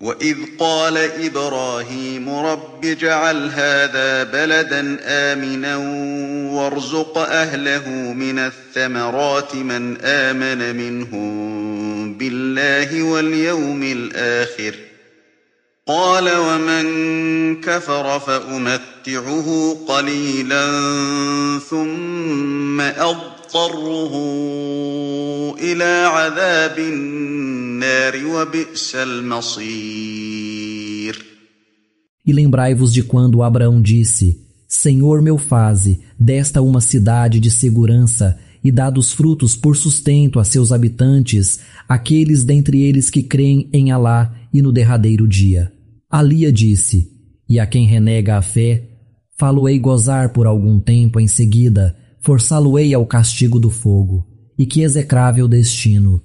وإذ قال إبراهيم رب اجعل هذا بلدا آمنا وارزق أهله من الثمرات من آمن منهم بالله واليوم الآخر قال ومن كفر فأمتعه قليلا ثم أضطره إلى عذاب النار وبئس المصير. E lembrai-vos de quando Abraão disse: Senhor meu, faze desta uma cidade de segurança e dá dos frutos por sustento a seus habitantes, aqueles dentre eles que creem em Alá e no derradeiro dia. Alia disse: E a quem renega a fé, fá-lo-ei gozar por algum tempo, em seguida forçá-lo-ei ao castigo do fogo. E que execrável destino